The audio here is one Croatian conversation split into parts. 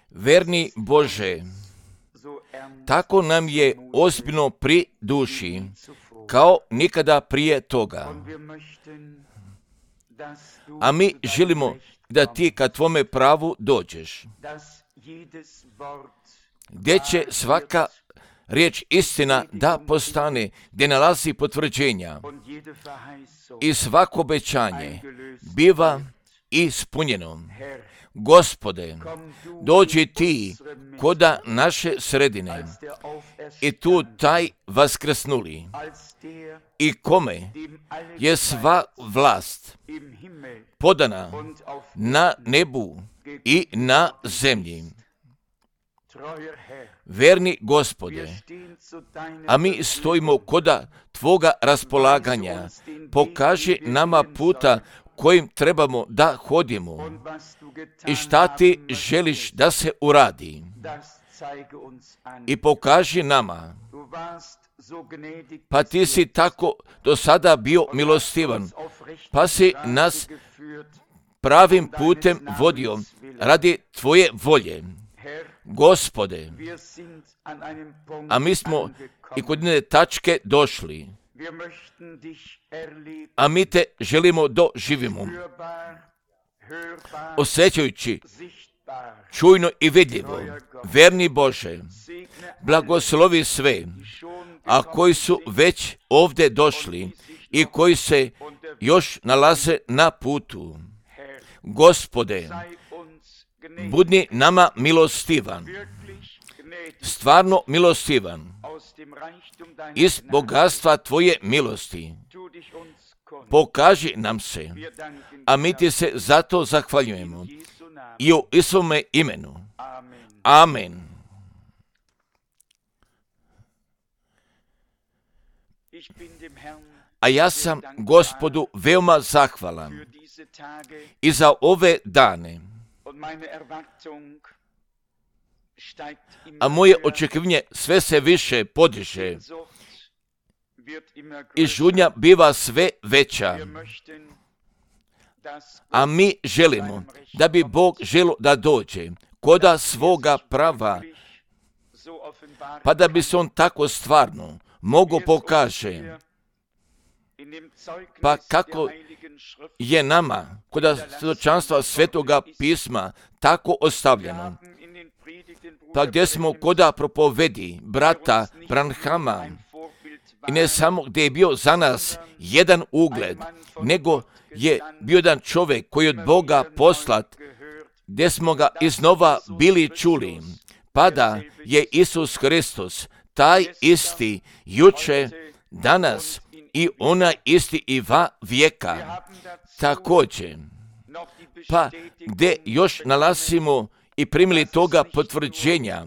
Verni Bože, tako nam je ozbiljno pri duši, kao nikada prije toga. A mi želimo da ti ka tvome pravu dođeš, gdje će svaka riječ istina da postane, gdje nalazi potvrđenja i svako obećanje biva ispunjeno. Gospode, dođi ti koda naše sredine i tu taj vaskrsnuli i kome je sva vlast podana na nebu i na zemlji. Verni Gospode, a mi stojimo koda tvoga raspolaganja, pokaži nama puta kojim trebamo da hodimo i šta ti želiš da se uradi. I pokaži nama, pa ti si tako do sada bio milostivan, pa si nas pravim putem vodio radi tvoje volje. Gospode, a mi smo i kod jedne tačke došli, a mi te želimo doživimo, osjećajući čujno i vidljivo. Verni Bože, blagoslovi sve, a koji su već ovdje došli i koji se još nalaze na putu. Gospode, budi nama milostivan, stvarno milostivan, iz bogatstva tvoje milosti. Pokaži nam se, a mi ti se zato zahvaljujemo. I u Isuvome imenu. Amen. A ja sam Gospodu veoma zahvalan i za ove dane. A moje očekivanje sve se više podiže i žudnja biva sve veća. A mi želimo da bi Bog želio da dođe koda svoga prava, pa da bi se on tako stvarno mogo pokaže. Pa kako je nama koda svjedočanstva Svetoga pisma tako ostavljeno, pa gdje smo koda propovedi brata Branhama, i ne samo gdje je bio za nas jedan ugled, nego je bio jedan čovjek koji je od Boga poslat, gdje smo ga iznova bili čuli, pa da je Isus Hristos taj isti juče, danas i onaj isti i va vijeka. Također, pa gdje još nalazimo i primili toga potvrđenja,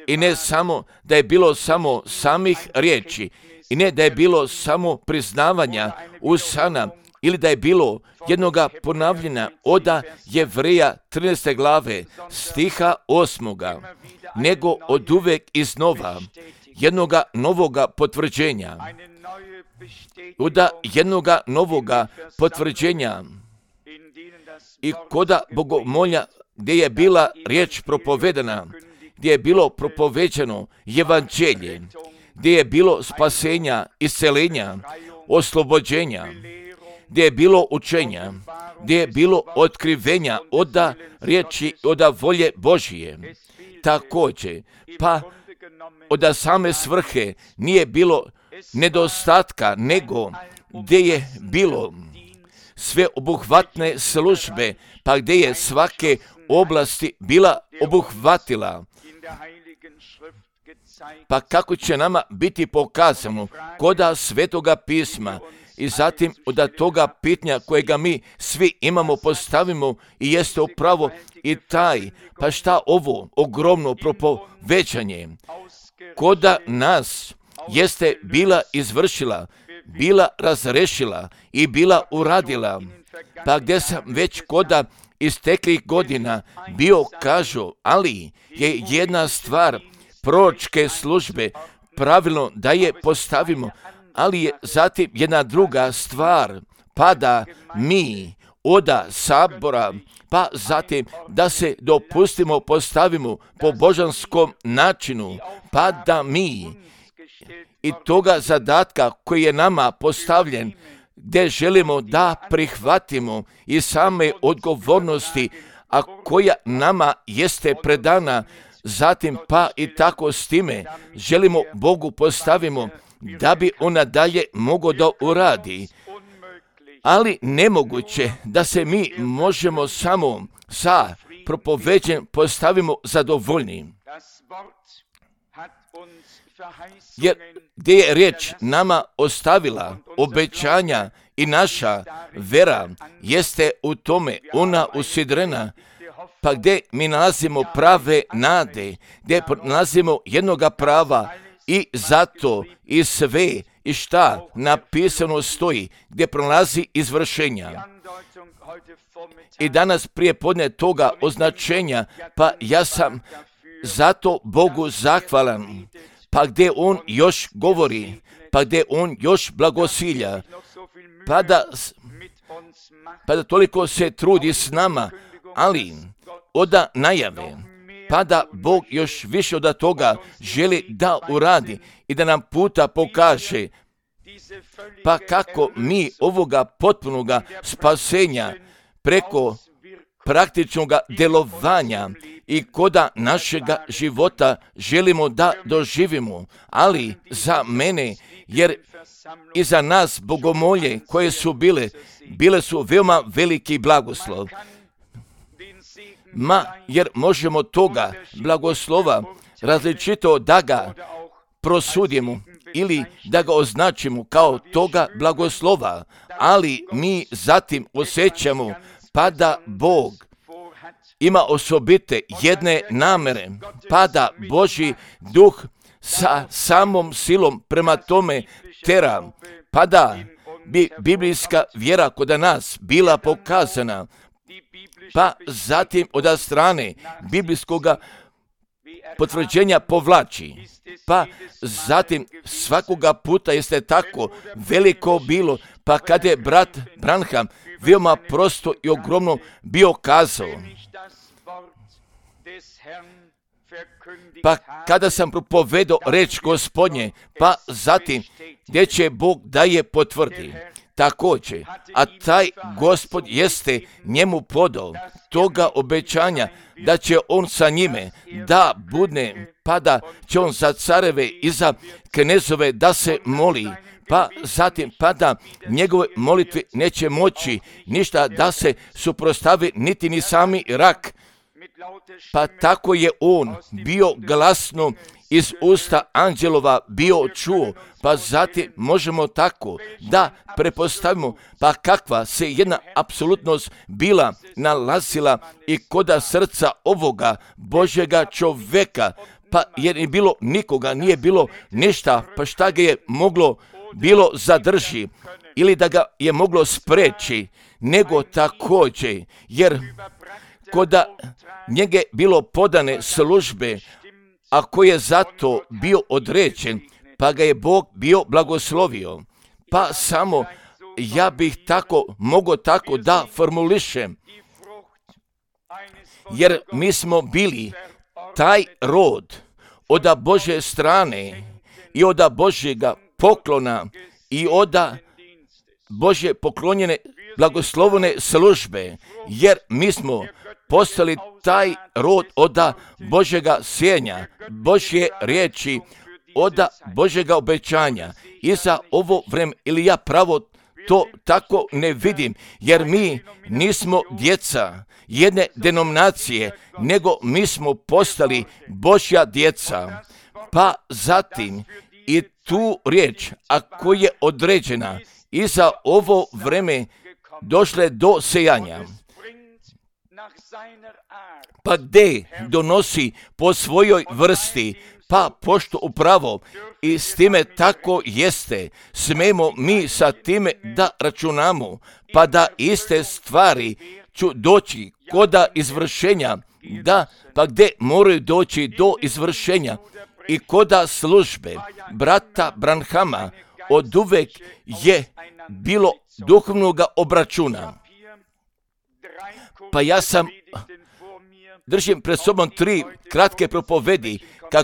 i ne samo da je bilo samo samih riječi, i ne da je bilo samo priznavanja usana, ili da je bilo jednoga ponavljanja oda Jevreja 13. glave stiha 8. nego od uvek iznova jednoga novoga potvrđenja. Oda jednoga novoga potvrđenja i koda bogomolja gdje je bila riječ propovedana, gdje je bilo propoveđeno evanđelje, gdje je bilo spasenja, isceljenja, oslobođenja, gdje je bilo učenja, gdje je bilo otkrivenja oda riječi, oda volje Božije. Također, pa oda same svrhe nije bilo nedostatka, nego gdje je bilo sve obuhvatne službe, pa gdje je svake oblasti bila obuhvatila. Pa kako će nama biti pokazano koda Svetoga pisma i zatim od toga pitanja kojega mi svi imamo postavimo i jeste upravo i taj, pa šta ovo ogromno propovećanje koda nas jeste bila izvršila, bila razrešila i bila uradila, pa gdje sam već koda isteklih godina bio kažu, ali je jedna stvar proročke službe pravilno da je postavimo, ali je zatim jedna druga stvar, pa da mi oda sabora, pa zatim da se dopustimo, postavimo po božanskom načinu, pa da mi i toga zadatka koji je nama postavljen, gdje želimo da prihvatimo i same odgovornosti, a koja nama jeste predana, zatim pa i tako s time želimo Bogu postavimo da bi ona dalje mogao da uradi. Ali nemoguće da se mi možemo samo sa propoveđenjem postavimo zadovoljni. Jer gdje je riječ nama ostavila obećanja i naša vera jeste u tome, ona usidrena, pa gdje mi nalazimo prave nade, gdje nalazimo jednoga prava i zato i sve i šta napisano stoji, gdje prolazi izvršenja. I danas prije podne toga označenja, pa ja sam zato Bogu zahvalan, pa gdje On još govori, pa gdje On još blagosilja, pa da toliko se trudi s nama, ali oda najave, pa da Bog još više od toga želi da uradi i da nam puta pokaže, pa kako mi ovoga potpunoga spasenja preko praktičnog djelovanja i koda našega života želimo da doživimo, ali za mene, jer i za nas bogomolje koje su bile su veoma veliki blagoslov. Jer možemo toga blagoslova različito da ga prosudimo ili da ga označimo kao toga blagoslova, ali mi zatim osjećamo pa da Bog ima osobite jedne namere, pa da Božji duh sa samom silom prema tome tera, pa da bi biblijska vjera kod nas bila pokazana, pa zatim od strane biblijskog potvrđenja povlači, pa zatim svakoga puta jeste tako veliko bilo, pa kad je brat Branham veoma prosto i ogromno bio kazao, pa kada sam propovedao reč Gospodnje, pa zatim gdje će Bog da je potvrdi. Također, a taj Gospod jeste njemu podao toga obećanja da će on sa njime da budne, pa da će on za careve i za knezove da se moli, pa zatim pa da njegove molitve neće moći ništa da se suprotstavi niti ni sami rak. Pa tako je on bio glasno iz usta anđelova bio čuo, pa zatim možemo tako da prepostavimo pa kakva se jedna apsolutnost bila nalazila i koda srca ovoga Božjega čoveka, pa jer nije bilo nikoga, nije bilo ništa, pa šta ga je moglo bilo zadrži ili da ga je moglo spreći, nego također, jer koda njege bilo podane službe, a koji je zato bio određen, pa ga je Bog bio blagoslovio. Pa samo ja bih mogao tako da formulišem, jer mi smo bili taj rod od Božje strane i od Božjega poklona i od Božje poklonjene blagoslovene službe, jer mi smo postali taj rod od Božjega sjenja, Božje riječi, od Božjega obećanja. I za ovo vreme, ili ja pravo to tako ne vidim, jer mi nismo djeca jedne denominacije, nego mi smo postali Božja djeca. Pa zatim i tu riječ, ako je određena i za ovo vreme došle do sejanja, pa gdje donosi po svojoj vrsti, pa pošto upravo i s time tako jeste, smemo mi sa time da računamo, pa da iste stvari ću doći koda izvršenja, da pa gdje moraju doći do izvršenja i koda službe brata Branhama od uvek je bilo duhovnog obračuna. Pa ja držim pred sobom 3 kratke propovedi,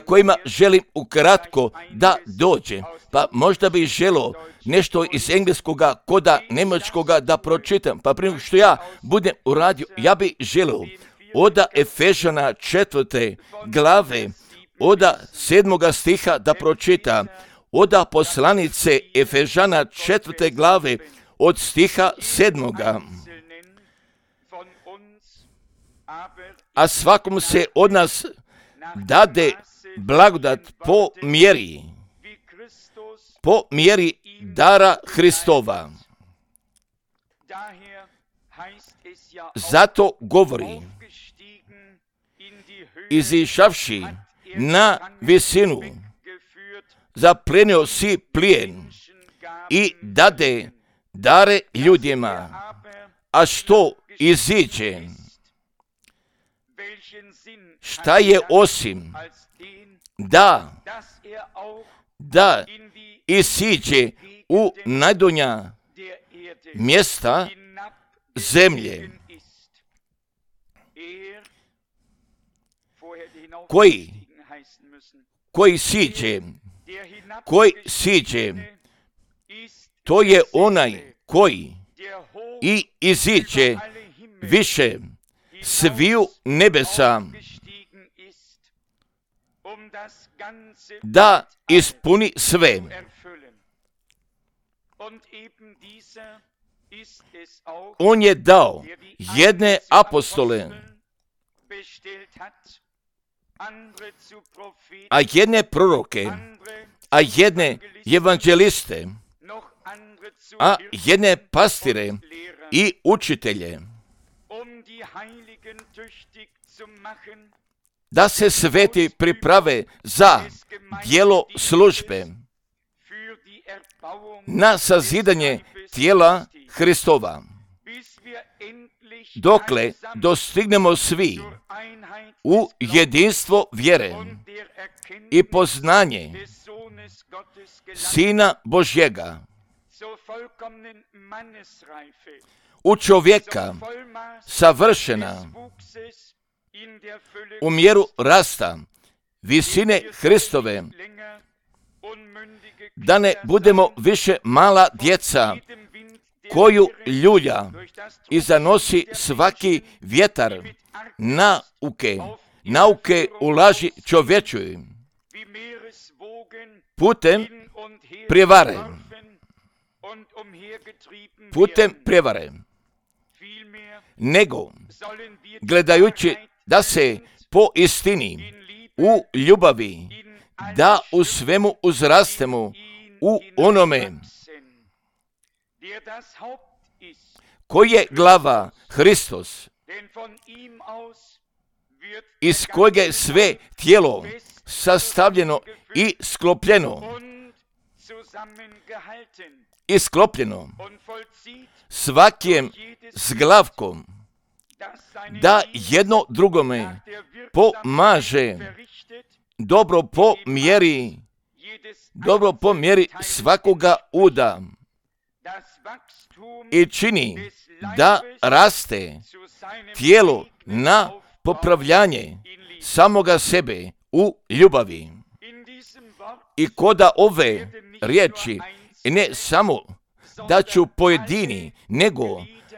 kojima želim ukratko da dođe. Pa možda bih želio nešto iz engleskoga koda njemačkoga da pročitam. Pa prije što ja budem uradio, ja bih želio od Efežana 4. glave, od 7. stiha da pročita, od poslanice Efežana 4. glave, od stiha 7. A svakom se od nas dade blagodat po mjeri dara Hristova. Zato govori, izišavši na visinu, zaplenio si plijen i dade dare ljudima, a što iziđe, šta je osim da isiđe u najdonja mjesta zemlje, koji siđe, to je onaj koji i iziđe više sviju nebesa, da ispuni sve. On je dao jedne apostole, a jedne proroke, a jedne evanđeliste, a jedne pastire i učitelje, da se sveti priprave za djelo službe, na sazidanje tijela Hristova, dokle dostignemo svi u jedinstvo vjere i poznanje Sina Božjega, u čovjeka savršena, u mjeru rasta visine Hristove, da ne budemo više mala djeca koju ljulja i zanosi svaki vjetar nauke u laži čovječoj, putem prijevare, nego gledajući da se po istini u ljubavi, da u svemu uzrastemo u onome koji je glava, Hristos, iz kojeg je sve tijelo sastavljeno i sklopljeno svakim zglavkom, da jedno drugome pomaže dobro po mjeri svakoga uda i čini da raste tijelo na popravljanje samoga sebe u ljubavi. I koda ove riječi, ne samo da ću pojedini, nego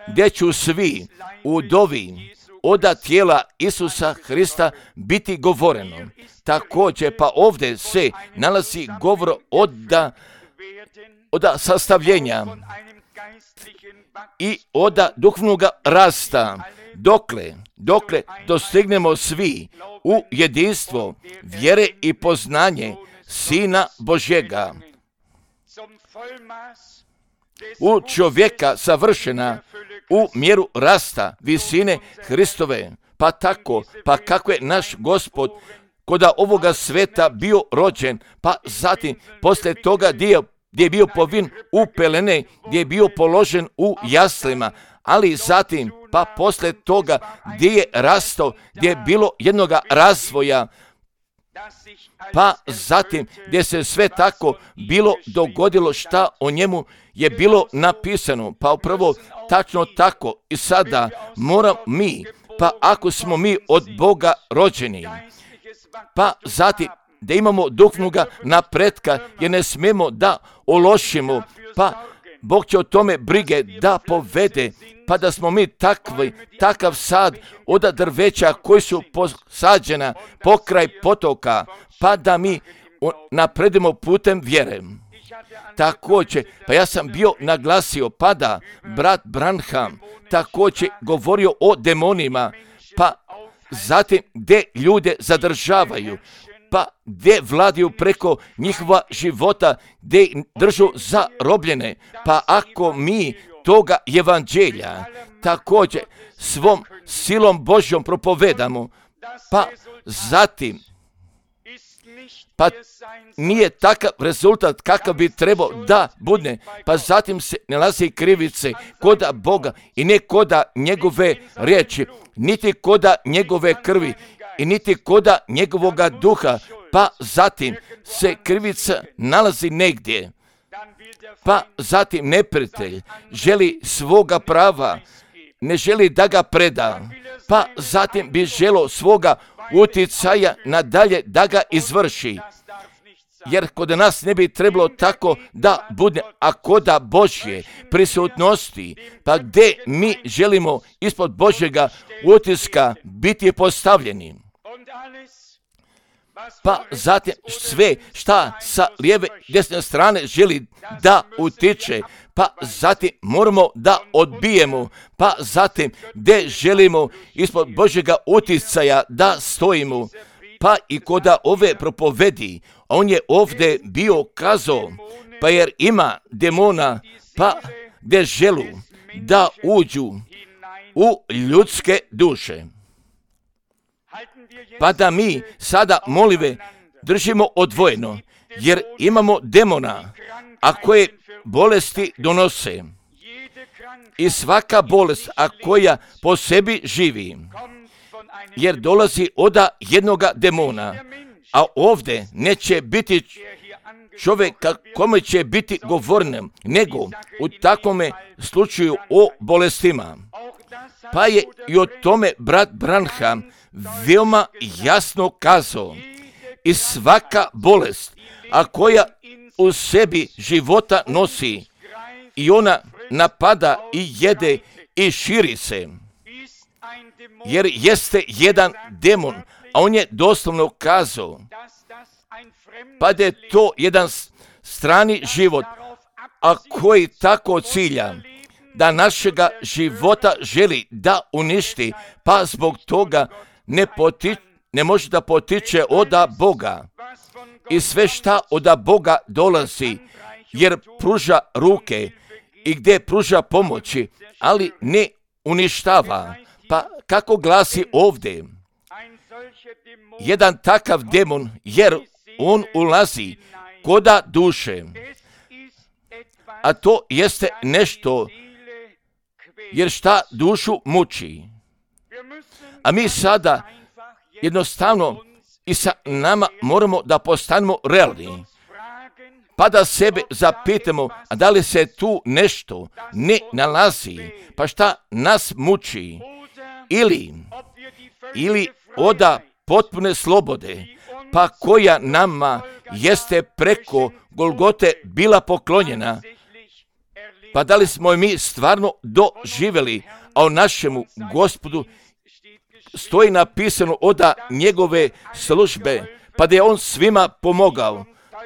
gdje ću svi u dovi od tijela Isusa Hrista biti govoreno. Također pa ovdje se nalazi govor od sastavljenja i od duhovnog rasta, dokle dostignemo svi u jedinstvo vjere i poznanje Sina Božjega, u čovjeka savršena, u mjeru rasta visine Hristove. Pa tako, pa kako je naš Gospod koda ovoga sveta bio rođen, pa zatim poslije toga gdje je bio povin u pelene, gdje je bio položen u jaslima, ali zatim pa poslije toga gdje je rastao, gdje je bilo jednoga razvoja, pa zatim gdje se sve tako bilo dogodilo šta o njemu je bilo napisano. Pa upravo tačno tako i sada moram mi, pa ako smo mi od Boga rođeni, pa zatim da imamo duhovnoga napretka, jer ne smemo da ološimo, pa Bog će o tome brige da povede, pa da smo mi takav sad od drveća koji su posađena pokraj potoka, pa da mi napredimo putem vjere. Također, pa ja sam bio naglasio, pa da brat Branham također govorio o demonima, pa zatim gdje ljude zadržavaju, pa gdje vladaju preko njihova života, gdje držu zarobljene, pa ako mi toga evanđelja također svom silom Božjom propovedamo, pa zatim pa nije takav rezultat kakav bi trebao da bude, pa zatim se nalazi krivice koda Boga i ne koda njegove riječi, niti koda njegove krvi i niti koda njegovoga duha, pa zatim se krivica nalazi negdje, pa zatim neprijatelj želi svoga prava, ne želi da ga preda, pa zatim bi želo svoga uticaja nadalje da ga izvrši. Jer kod nas ne bi trebalo tako da bude, a koda Božje prisutnosti, pa gdje mi želimo ispod Božjega utiska biti postavljeni. Pa zatim sve šta sa lijeve desne strane želi da utiče, pa zatim moramo da odbijemo, pa zatim gdje želimo ispod Božjega uticaja da stojimo, pa i koda ove propovedi, on je ovdje bio kazao, pa jer ima demona, pa gdje želu da uđu u ljudske duše. Pa da mi sada molive držimo odvojeno, jer imamo demona, a koje bolesti donose. I svaka bolest, a koja po sebi živi, jer dolazi od jednoga demona, a ovdje neće biti čovjeka kome će biti govornem, nego u takvome slučaju o bolestima. Pa je i o tome brat Branham veoma jasno kazao. I svaka bolest, a koja u sebi života nosi, i ona napada i jede i širi se. Jer jeste jedan demon, a on je doslovno kazao, pa da je to jedan strani život, a koji tako cilja da našega života želi da uništi, pa zbog toga ne može da potiče od Boga. I sve šta od Boga dolazi, jer pruža ruke i gdje pruža pomoći, ali ne uništava. Pa kako glasi ovdje? Jedan takav demon, jer on ulazi koda duše, a to jeste nešto, jer šta dušu muči. A mi sada jednostavno i sa nama moramo da postanemo realni, pa da sebe zapitamo, a da li se tu nešto ne nalazi, pa šta nas muči, ili oda potpune slobode, pa koja nama jeste preko Golgote bila poklonjena, pa da li smo mi stvarno doživjeli, a o našemu Gospodu stoji napisano od njegove službe, pa da je on svima pomogao,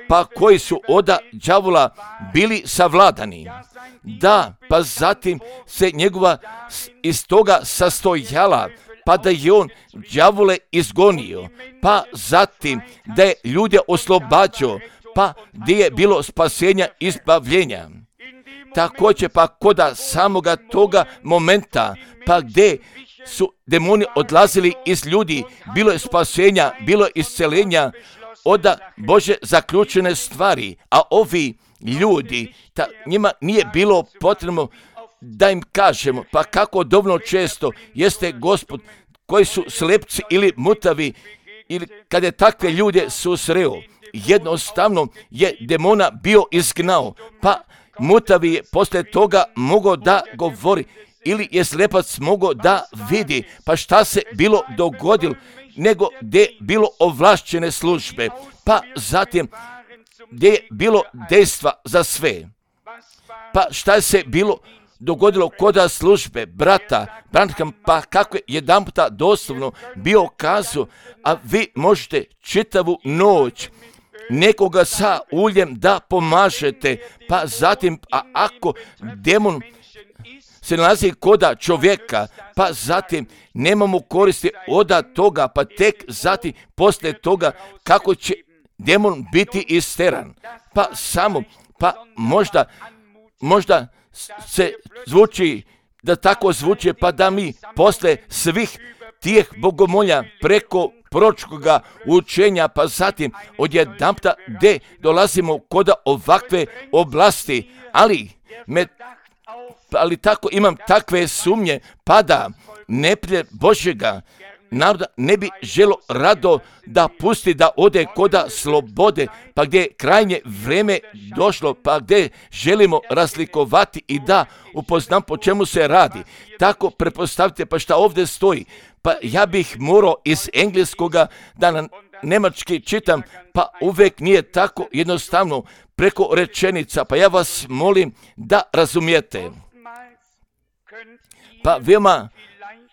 pa koji su od đavola bili savladani. Da, pa zatim se njegova iz toga sastojala, pa da je on đavole izgonio, pa zatim da je ljude oslobađao, pa gdje je bilo spasenja izbavljenja. Također pa koda samoga toga momenta, pa gdje su demoni odlazili iz ljudi, bilo je spasenja, bilo je iscelenja od Bože zaključene stvari, a ovi ljudi, njima nije bilo potrebno da im kažemo, pa kako dovoljno često jeste Gospod koji su slepci ili mutavi, ili kad je takve ljude susreo, jednostavno je demona bio izgnao, pa mutavi je poslije toga mogao da govori, ili je slepac mogao da vidi. Pa šta se bilo dogodilo, nego gdje je bilo ovlašćene službe, pa zatim gdje je bilo dejstva za sve. Pa šta se bilo dogodilo kod službe brata Branham, pa kako je jedan puta doslovno bio kazao, a vi možete čitavu noć nekoga sa uljem da pomažete, pa zatim, a ako demon se nalazi koda čovjeka, pa zatim nemamo koristi od toga, pa tek zatim poslije toga kako će demon biti isteran. Pa samo, pa možda se zvuči, da tako zvuči, pa da mi posle svih tih bogomolja preko proročkoga učenja, pa zatim odjedanputa gdje dolazimo kod ovakve oblasti, ali tako imam takve sumnje, pa da neprijatelj Božjega naroda ne bi želo rado da pusti da ode koda slobode, pa gdje je krajnje vrijeme došlo, pa gdje želimo razlikovati i da upoznam po čemu se radi. Tako prepostavite, pa šta ovdje stoji, pa ja bih morao iz engleskoga da na nemački čitam, pa uvijek nije tako jednostavno preko rečenica, pa ja vas molim da razumijete.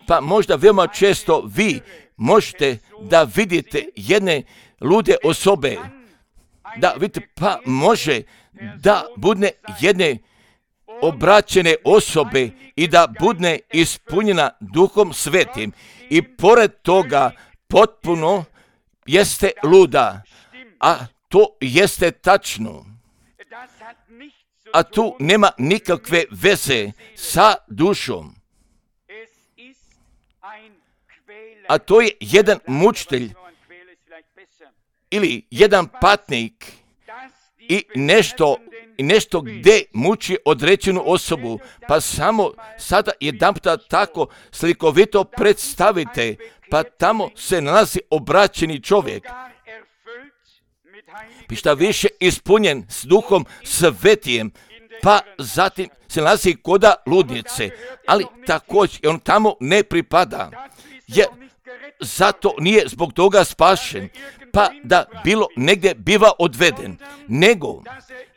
Pa možda veoma često vi možete da vidite jedne lude osobe, da vidite, pa može da budne jedne obraćene osobe i da budne ispunjena Duhom Svetim i pored toga potpuno jeste luda, a to jeste tačno. A tu nema nikakve veze sa dušom. A to je jedan mučitelj ili jedan patnik i nešto gdje muči određenu osobu. Pa samo sada jedanputa tako slikovito predstavite, pa tamo se nalazi obraćeni čovjek. I šta više ispunjen s Duhom Svetijem, pa zatim se nalazi koda ludnice, ali također on tamo ne pripada, jer zato nije zbog toga spašen, pa da bilo negdje biva odveden,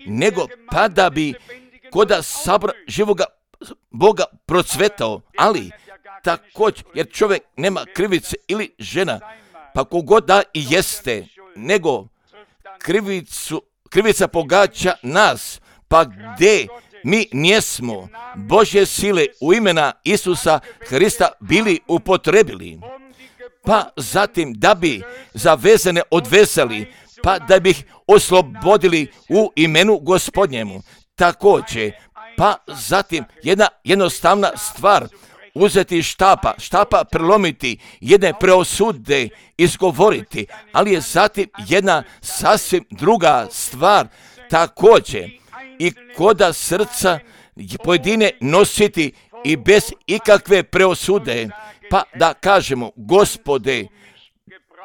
nego pa da bi koda sabora živoga Boga procvetao, ali također, jer čovjek nema krivice ili žena, pa kogod da i jeste, nego krivica pogađa nas, pa gdje mi njesmo Božje sile u imena Isusa Hrista bili upotrebili, pa zatim da bi zavezane odvezali, pa da bi ih oslobodili u imenu Gospodnjemu. Također, pa zatim jedna jednostavna stvar, uzeti štapa prelomiti, jedne preosude izgovoriti, ali je zatim jedna sasvim druga stvar također i koda srca pojedine nositi i bez ikakve preosude, pa da kažemo, Gospode,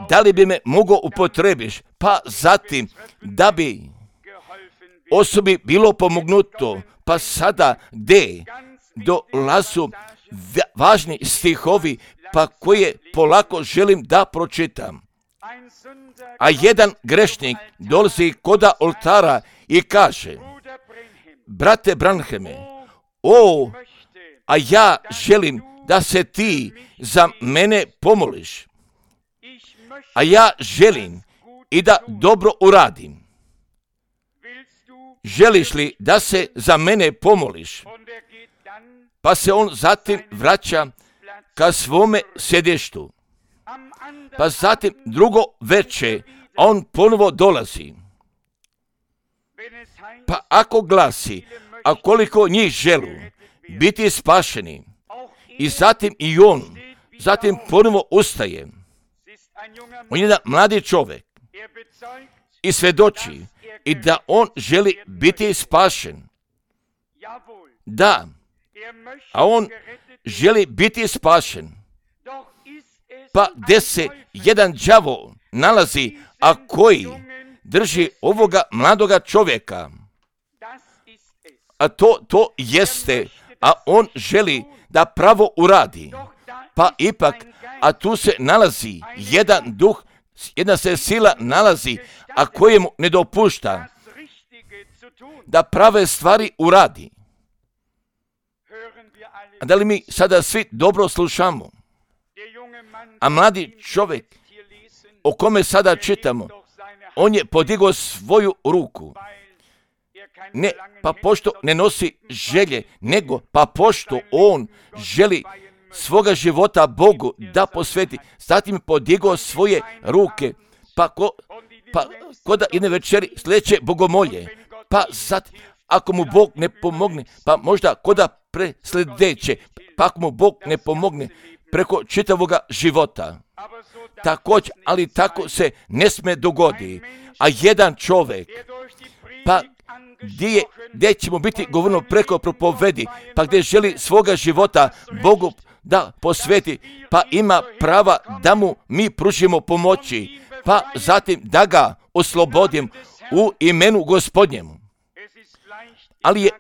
da li bi me mogao upotrebiš, pa zatim da bi osobi bilo pomognuto, pa sada gdje dolazu važni stihovi, pa koje polako želim da pročitam. A jedan grešnik dolazi koda oltara i kaže, brate Branhame, a ja želim da se ti za mene pomoliš, a ja želim i da dobro uradim. Želiš li da se za mene pomoliš? Pa se on zatim vraća ka svome sjedištu. Pa zatim drugo veče, a on ponovo dolazi. Pa ako glasi, a koliko njih želu biti spašeni, i zatim i on, zatim ponovo ustaje. On je jedan mladi čovjek i svjedoči i da on želi biti spašen. Da, a on želi biti spašen. Pa gdje se jedan đavo nalazi, a koji drži ovoga mladoga čovjeka, a to jeste, a on želi da pravo uradi. Pa ipak, a tu se nalazi jedan duh, jedna se sila nalazi, a kojemu ne dopušta da prave stvari uradi. A da li mi sada svi dobro slušamo? A mladi čovjek o kome sada čitamo, on je podigao svoju ruku. Ne, pa pošto ne nosi želje, nego pa pošto on želi svoga života Bogu da posveti, zatim podigao svoje ruke, pa ko da jedne večeri sljedeće bogomolje, pa sad ako mu Bog ne pomogne, pa možda ko da presljedeće, pa ako mu Bog ne pomogne preko čitavoga života. Također, ali tako se ne sme dogodi, a jedan čovjek, pa gdje ćemo biti govorno preko propovedi, pa gdje želi svoga života Bogu da posveti, pa ima prava da mu mi pružimo pomoći, pa zatim da ga oslobodim u imenu Gospodnjemu. Ali je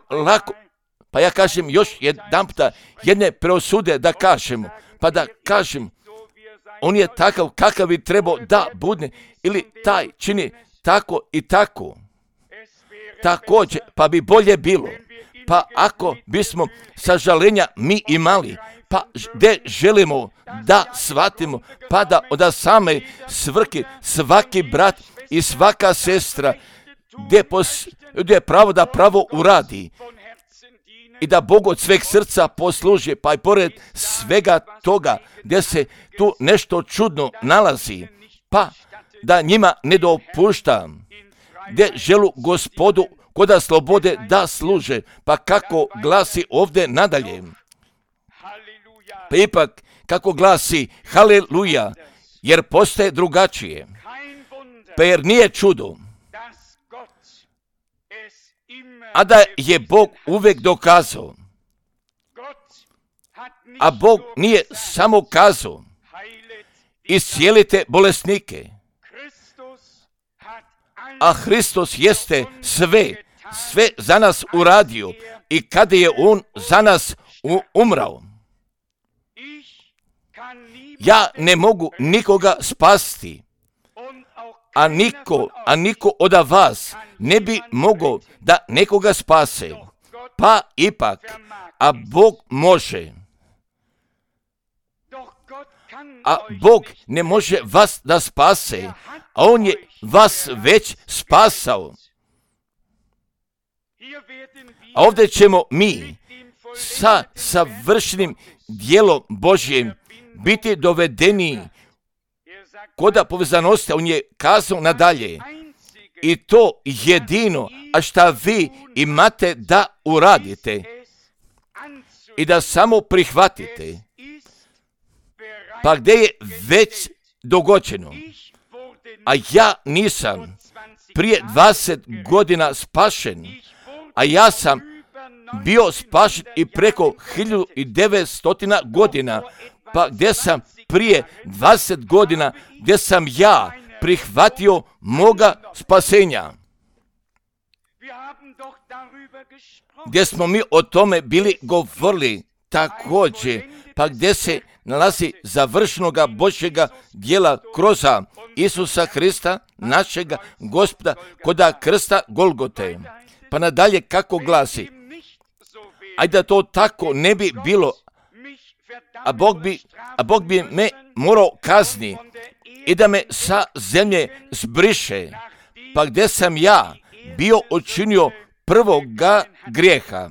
lako, pa ja kažem još jedan puta, jedne preosude da kažemo, pa da kažem, on je takav kakav bi trebao da bude, ili taj čini tako i tako. Također, pa bi bolje bilo, pa ako bismo sažalenja mi imali, pa gdje želimo da shvatimo, pa da od same svrhe svaki brat i svaka sestra gdje je pravo da pravo uradi i da Bogu od sveg srca posluži, pa i pored svega toga gdje se tu nešto čudno nalazi, pa da njima ne dopušta, gdje želu Gospodu koda slobode da služe, pa kako glasi ovdje nadalje. Pa ipak kako glasi haleluja, jer postaje drugačije. Pa jer nije čudo, a da je Bog uvijek dokazao. A Bog nije samo kazao, iscijelite bolesnike, a Hristos jeste sve za nas uradio i kada je on za nas umrao. Ja ne mogu nikoga spasti, a niko od vas ne bi mogao da nekoga spase. Pa ipak, a Bog može. A Bog ne može vas da spase, a on je vas već spasao. A ovdje ćemo mi sa savršenim djelom Božjim biti dovedeni koda povezanosti, on je kazao nadalje. I to jedino, a šta vi imate da uradite i da samo prihvatite. Pa gdje je već dogođeno? A ja nisam prije 20 godina spašen, a ja sam bio spašen i preko 1900 godina, pa gdje sam prije 20 godina, gdje sam ja prihvatio moga spasenja. Gdje smo mi o tome bili govorili također, pa gdje se nalazi završenoga Božjega djela kroz Isusa Hrista, našega Gospoda, koda krsta Golgote. Pa nadalje kako glasi, ajde da to tako ne bi bilo, a Bog bi me morao kazni i da me sa zemlje zbriše, pa gdje sam ja bio učinio prvoga grijeha.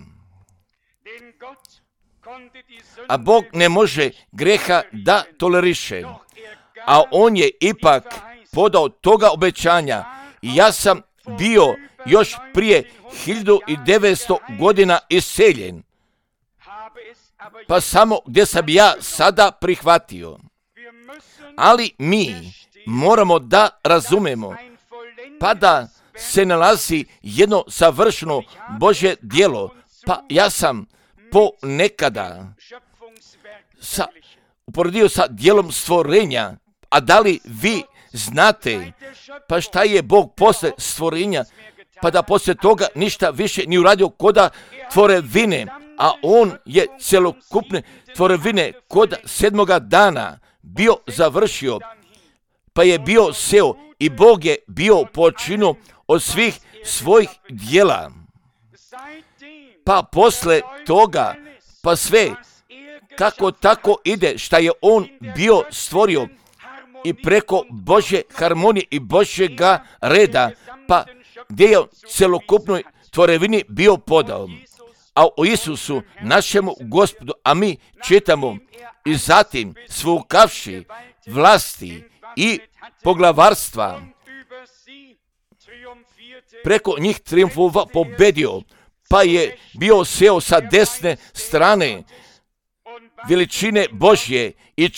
A Bog ne može grijeha da toleriše, a on je ipak podao toga obećanja i ja sam bio još prije 1900 godina iseljen, pa samo gdje sam ja sada prihvatio. Ali mi moramo da razumemo, pa da se nalazi jedno savršeno Božje djelo, pa ja sam ponekada uporedio sa djelom stvorenja, a da li vi znate, pa šta je Bog posle stvorenja, pa da poslije toga ništa više ni uradio koda tvorevine, a on je celokupne tvorevine kod 7. dana bio završio, pa je bio seo i Bog je bio počinu od svih svojih djela. Pa posle toga, pa sve kako tako ide šta je on bio stvorio i preko Božje harmonije i Božjega reda, pa gdje je celokupnoj tvorevini bio podao. A o Isusu, našemu Gospodu, a mi čitamo, i zatim svukavši vlasti i poglavarstva, preko njih triumfova pobedio, pa je bio seo sa desne strane veličine Božje i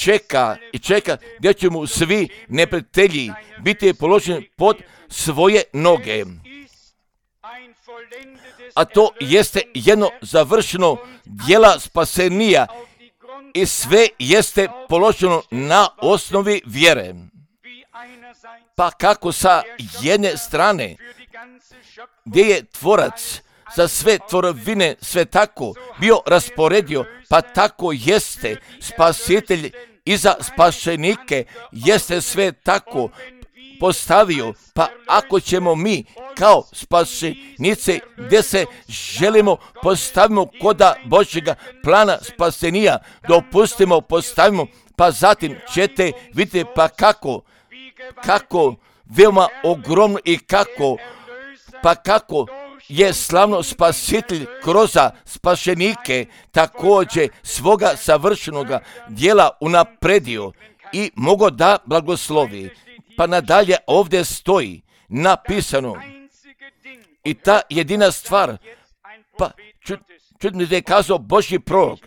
čeka gdje će mu svi neprijatelji biti položeni pod svoje noge. A to jeste jedno završeno djela spasenija i sve jeste položeno na osnovi vjere. Pa kako sa jedne strane, gdje je tvorac za sve tvorovine sve tako bio rasporedio, pa tako jeste spasitelj i za spašenike jeste sve tako postavio. Pa ako ćemo mi kao spašenice gdje se želimo postavimo koda Božjega plana spasenija, dopustimo, postavimo, pa zatim ćete vidjeti pa kako veoma ogromno i kako je slavno spasitelj kroz spašenike također svoga savršenoga djela unapredio i mogo da blagoslovi. Pa nadalje ovdje stoji napisano i ta jedina stvar, pa čudno da je kazao Božji prorok,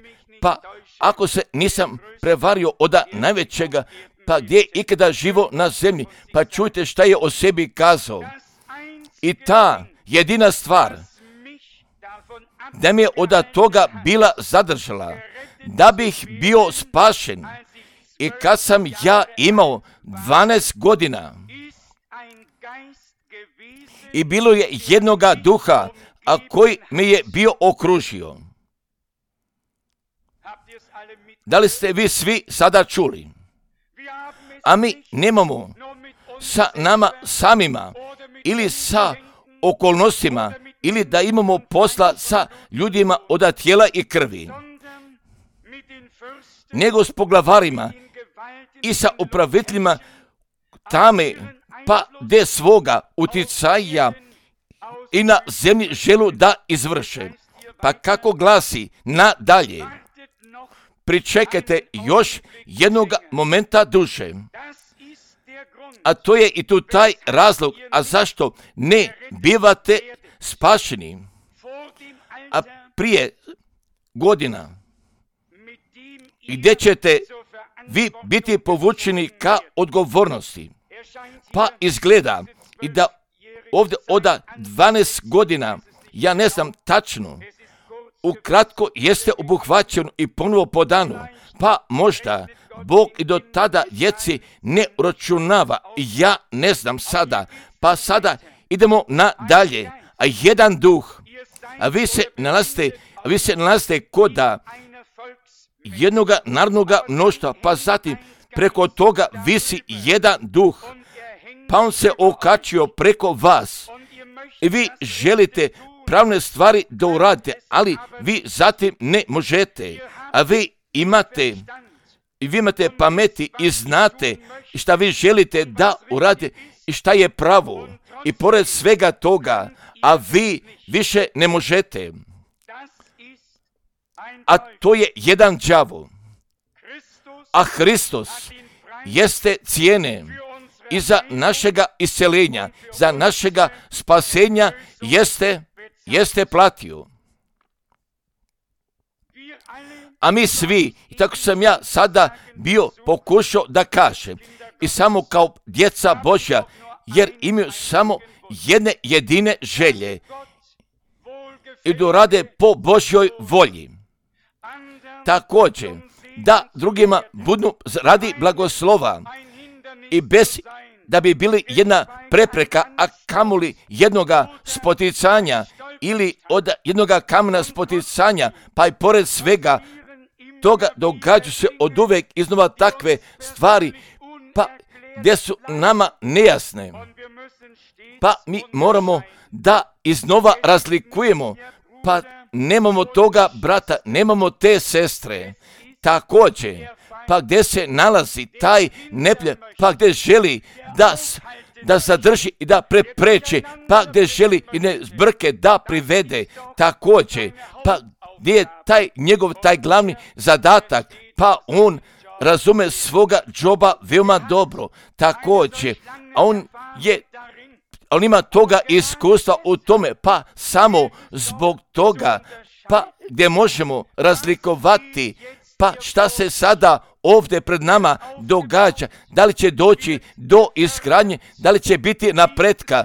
pa ako se nisam prevario od najvećega, pa gdje je ikada živo na zemlji, pa čujte šta je o sebi kazao. I ta jedina stvar da mi je od toga bila zadržala, da bih bio spašen. I kad sam ja imao 12 godina i bilo je jednoga duha, a koji me je bio okružio. Da li ste vi svi sada čuli? A mi nemamo sa nama samima ili sa okolnostima ili da imamo posla sa ljudima od tijela i krvi, nego s poglavarima i sa upraviteljima tame, pa de svoga uticaja i na zemlji želu da izvrše. Pa kako glasi nadalje, pričekajte još jednog momenta duše. A to je i tu taj razlog, a zašto ne bivate spašeni, a prije godina, gdje ćete vi biti povučeni ka odgovornosti. Pa izgleda i da ovdje od 12 godina, ja ne znam tačno, ukratko jeste obuhvaćeno i ponovo po danu, pa možda Bog i do tada djeci ne uračunava, ja ne znam sada, pa sada idemo nadalje, a jedan duh, a vi se nalazite koda jednoga narodnoga mnoštva, pa zatim preko toga visi jedan duh, pa on se okačio preko vas i vi želite pravne stvari da uradite, ali vi zatim ne možete, a vi imate pameti i znate šta vi želite da uradite i šta je pravo i pored svega toga, a vi više ne možete. A to je jedan đavo. A Hristos jeste cijene i za našega isceljenja, za našega spasenja jeste platio. A mi svi, i tako sam ja sada bio pokušao da kažem, i samo kao djeca Božja, jer imaju samo jedne jedine želje i da rade po Božjoj volji. Također, da drugima budu radi blagoslova i bez da bi bili jedna prepreka, a kamoli jednoga spoticanja ili od jednoga kamena spoticanja, pa i pored svega toga događaju se od uvek iznova takve stvari, pa gdje su nama nejasne. Pa mi moramo da iznova razlikujemo, pa nemamo toga brata, nemamo te sestre. Također, pa gdje se nalazi taj neprijatelj, pa gdje želi da zadrži i da prepreči, pa gdje želi i ne zbrke da privede. Također, pa gdje je taj glavni zadatak, pa on razume svoga džoba veoma dobro. Također, a on ima toga iskustva u tome, pa samo zbog toga, pa gdje možemo razlikovati, pa šta se sada ovdje pred nama događa, da li će doći do izgradnje, da li će biti napretka,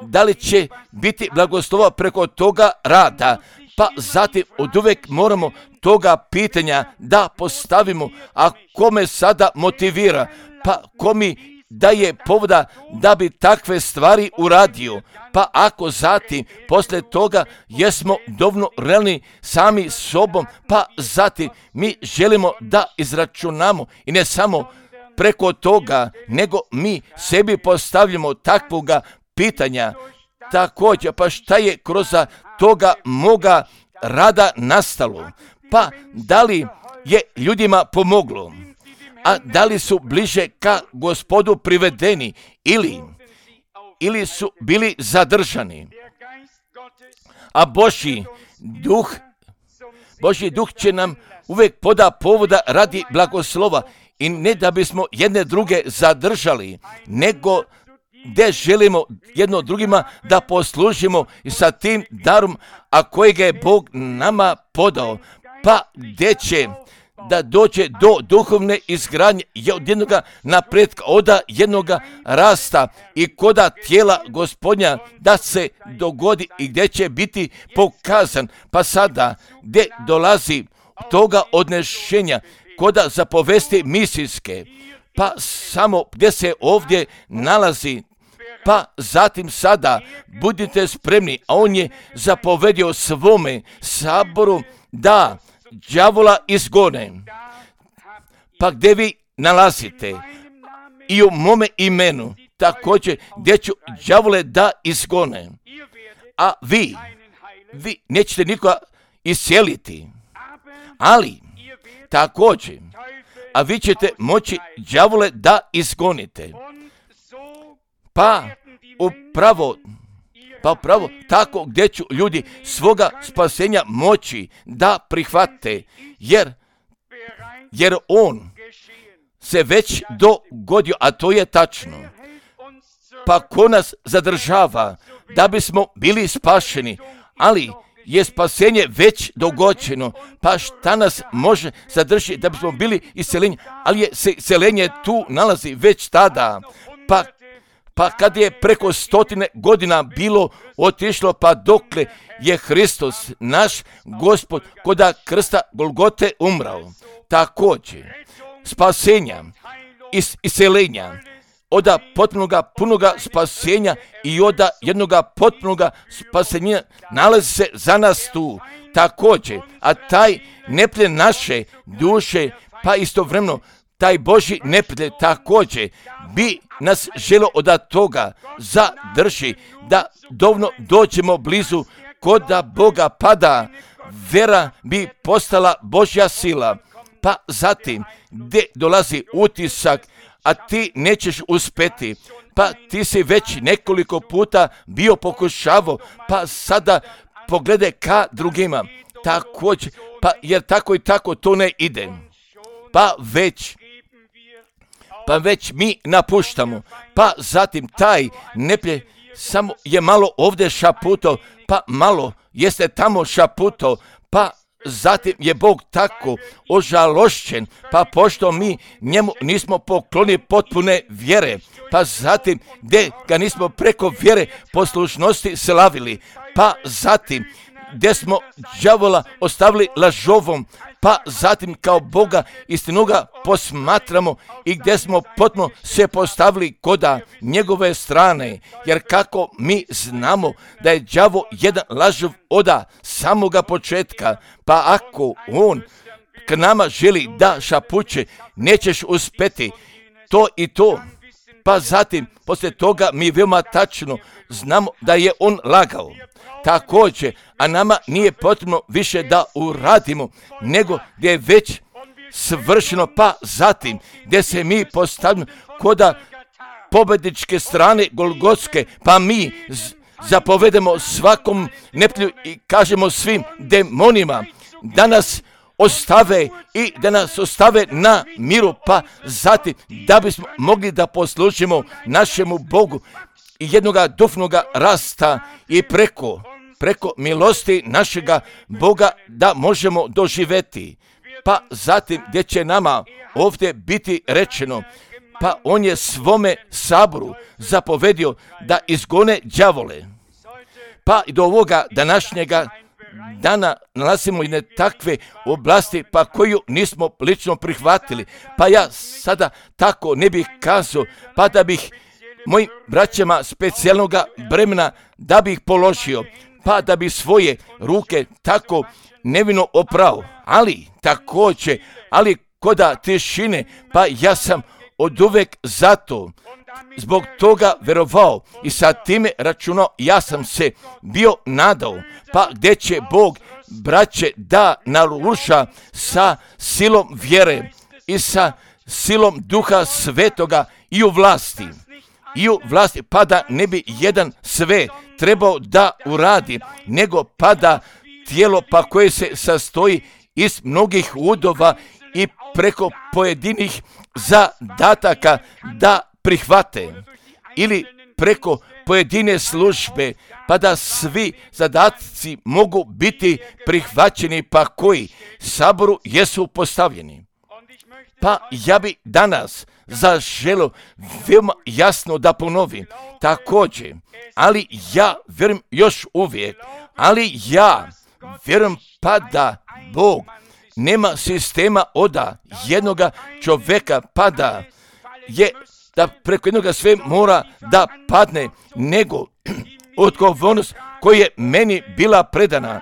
da li će biti blagoslova preko toga rada, pa zatim oduvek moramo toga pitanja da postavimo, a kome sada motivira, pa ko mi daje povoda da bi takve stvari uradio, pa ako zatim poslije toga jesmo dovoljno realni sami sobom, pa zatim mi želimo da izračunamo i ne samo preko toga, nego mi sebi postavljamo takvoga pitanja. Također, pa šta je kroz toga moga rada nastalo? Pa da li je ljudima pomoglo? A da li su bliže ka Gospodu privedeni ili su bili zadržani? A Božji duh će nam uvijek poda povoda radi blagoslova i ne da bismo jedne druge zadržali, nego gdje želimo jedno drugima da poslužimo i sa tim darom, a kojega je Bog nama podao, pa gdje će da dođe do duhovne izgradnje od jednoga napretka, od jednoga rasta i koda tijela Gospodnja da se dogodi i gdje će biti pokazan. Pa sada gdje dolazi toga odnešenja, koda zapovesti misijske, pa samo gdje se ovdje nalazi, pa zatim sada budite spremni, a on je zapovedio svome saboru da đavola izgone. Pa gdje vi nalazite i u mome imenu, također gdje ću đavole da izgone, a vi nećete nikoga isjeliti, ali također, a vi ćete moći đavole da izgonite. Pa upravo tako gdje ću ljudi svoga spasenja moći da prihvate, jer on se već dogodio, a to je tačno. Pa ko nas zadržava da bismo bili spašeni, ali je spasenje već dogođeno, pa šta nas može zadržati da bismo bili iseljeni, ali je iseljenje tu nalazi već tada, pa kad je preko 100 godina bilo otišlo, pa dokle je Hristos, naš Gospod, koda krsta Golgote umrao. Također, spasenja, iseljenja, od potpunoga punoga spasenja i od jednoga potpunoga spasenja nalazi se za nas tu. Također, a taj neprijatelj naše duše, pa istovremeno taj Božji neprijatelj također bi nas želio od toga zadrži, da dovoljno dođemo blizu koda Boga, pada vera bi postala Božja sila. Pa zatim gdje dolazi utisak, a ti nećeš uspjeti, pa ti si već nekoliko puta bio pokušavao, pa sada pogledaj ka drugima, također, pa jer tako i tako to ne ide, pa već mi napuštamo, pa zatim taj neprijatelj samo je malo ovdje šaputo, pa malo jeste tamo šaputo, pa zatim je Bog tako ožalošćen, pa pošto mi njemu nismo poklonili potpune vjere, pa zatim gdje ga nismo preko vjere poslušnosti slavili, pa zatim gdje smo đavola ostavili lažovom, pa zatim kao Boga istinoga posmatramo i gdje smo potpuno se postavili koda njegove strane, jer kako mi znamo da je đavo jedan lažov oda samoga početka, pa ako on k nama želi da šapuće, nećeš uspjeti to i to, pa zatim poslije toga mi veoma tačno znamo da je on lagao. Također, a nama nije potrebno više da uradimo, nego gdje je već svršeno, pa zatim gdje se mi postavimo koda pobjedničke strane Golgotske, pa mi zapovedemo svakom neprijatelju i kažemo svim demonima da nas ostave i da nas ostave na miru, pa zatim da bismo mogli da poslužimo našemu Bogu i jednoga duhovnoga rasta i preko milosti našega Boga da možemo doživjeti. Pa zatim gdje će nama ovdje biti rečeno, pa on je svome saboru zapovedio da izgone đavole. Pa i do ovoga današnjega dana nalazimo i ne takve oblasti pa koju nismo lično prihvatili. Pa ja sada tako ne bih kazao, pa da bih mojim braćama specijalnoga bremena da bih položio, pa da bi svoje ruke tako nevino oprao, ali također, ali koda tišine, pa ja sam oduvek zato zbog toga verovao i sa time računao, ja sam se bio nadao, pa gdje će Bog, braće, da naruša sa silom vjere i sa silom Duha Svetoga i u vlasti, pa da ne bi jedan sve trebao da uradi, nego pa da tijelo pa koje se sastoji iz mnogih udova i preko pojedinih zadataka da prihvate ili preko pojedine službe, pa da svi zadatci mogu biti prihvaćeni pa koji saboru jesu postavljeni. Pa ja bi danas zaželio veoma jasno da ponovim također, ali ja vjerujem još uvijek, ali ja vjerujem pa da Bog nema sistema oda jednoga čovjeka, pa da je da preko jednoga sve mora da padne, nego odgovornost koja je meni bila predana,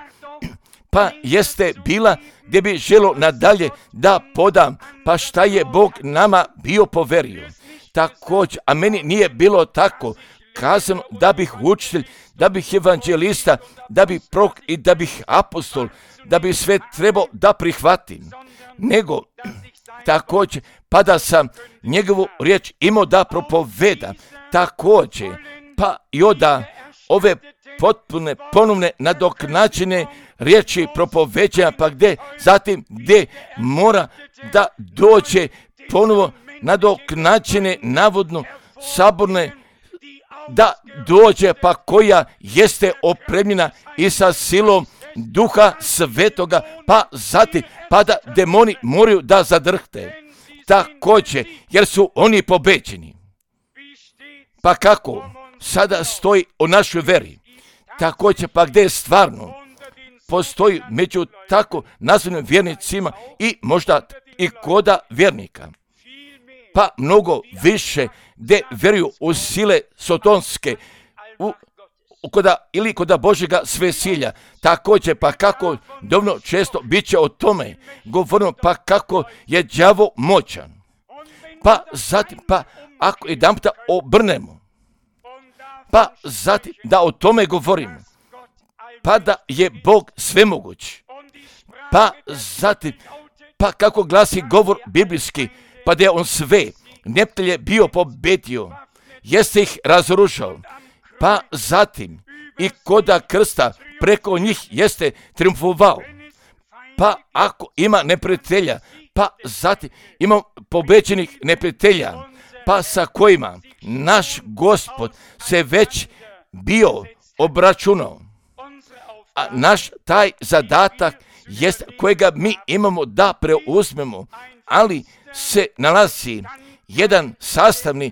pa jeste bila gdje bi želo nadalje da podam, pa šta je Bog nama bio poverio. Također, a meni nije bilo tako kazano da bih učitelj, da bih evanđelista, da bih prorok i da bih apostol, da bi sve trebao da prihvatim, nego također pa da sam njegovu riječ imao da propoveda, također pa i oda ove potpune ponovne nadoknađene riječi propoveđanja, pa gdje mora da dođe ponovo nadoknađene navodno saborne, da dođe pa koja jeste opremljena i sa silom Duha Svetoga, pa zatim pa da demoni moraju da zadrhte također, jer su oni pobeđeni. Pa kako sada stoji o našoj veri, također pa gdje stvarno postoji među tako nazvanim vjernicima i možda i koda vjernika, pa mnogo više gdje vjeruju u sile sotonske, koda Božjega svesilja, također pa kako dovoljno često bit će o tome govorimo, pa kako je đavo moćan, pa zatim pa ako jedan puta obrnemo, pa zatim da o tome govorimo, pa da je Bog svemoguć, pa zatim pa kako glasi govor biblijski, pa da je on sve neprijatelje bio pobedio, jeste ih razrušao, pa zatim i koda krsta preko njih jeste triumfovao. Pa ako ima neprijatelja, pa zatim ima pobeđenih neprijatelja, pa sa kojima naš Gospod se već bio obračunao. A naš taj zadatak jest kojega mi imamo da preuzmemo, ali se nalazi jedan sastavni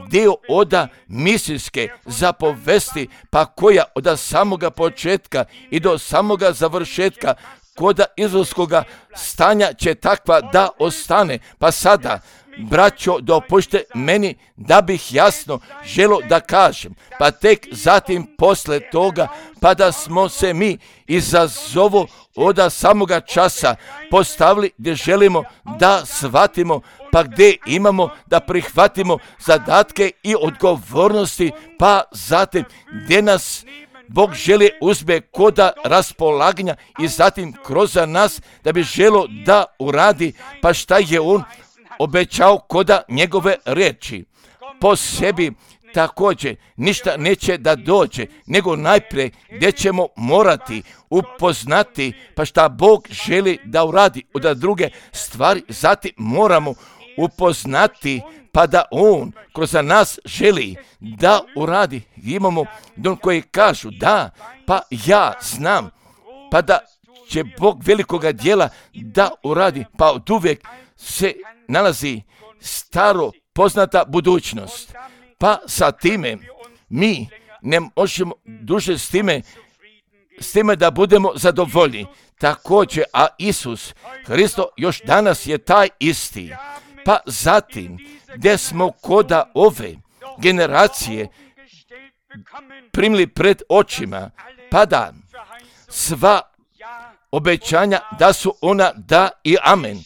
dio oda misijske zapovesti, pa koja od samoga početka i do samoga završetka koda izraelskoga stanja će takva da ostane. Pa sada, braćo, dopušte meni da bih jasno želo da kažem, pa tek zatim posle toga, pa da smo se mi izazovo od samoga časa postavili gdje želimo da shvatimo, pa gdje imamo da prihvatimo zadatke i odgovornosti, pa zatim gdje nas Bog želi uzme koda raspolaganja i zatim kroz nas da bi želo da uradi, pa šta je on obećao koda njegove riječi. Po sebi također ništa neće da dođe, nego najprije gdje ćemo morati upoznati, pa šta Bog želi da uradi od druge stvari, zatim moramo upoznati, pa da on kroz nas želi da uradi. Imamo don koji kažu da, pa ja znam, pa da će Bog velikoga djela da uradi, pa od uvijek se nalazi staro poznata budućnost. Pa sa time mi ne možemo duže s time da budemo zadovoljni. Također, a Isus Hristo još danas je taj isti. Pa zatim, gdje smo koda ove generacije primili pred očima, pa da sva obećanja da su ona da i amen.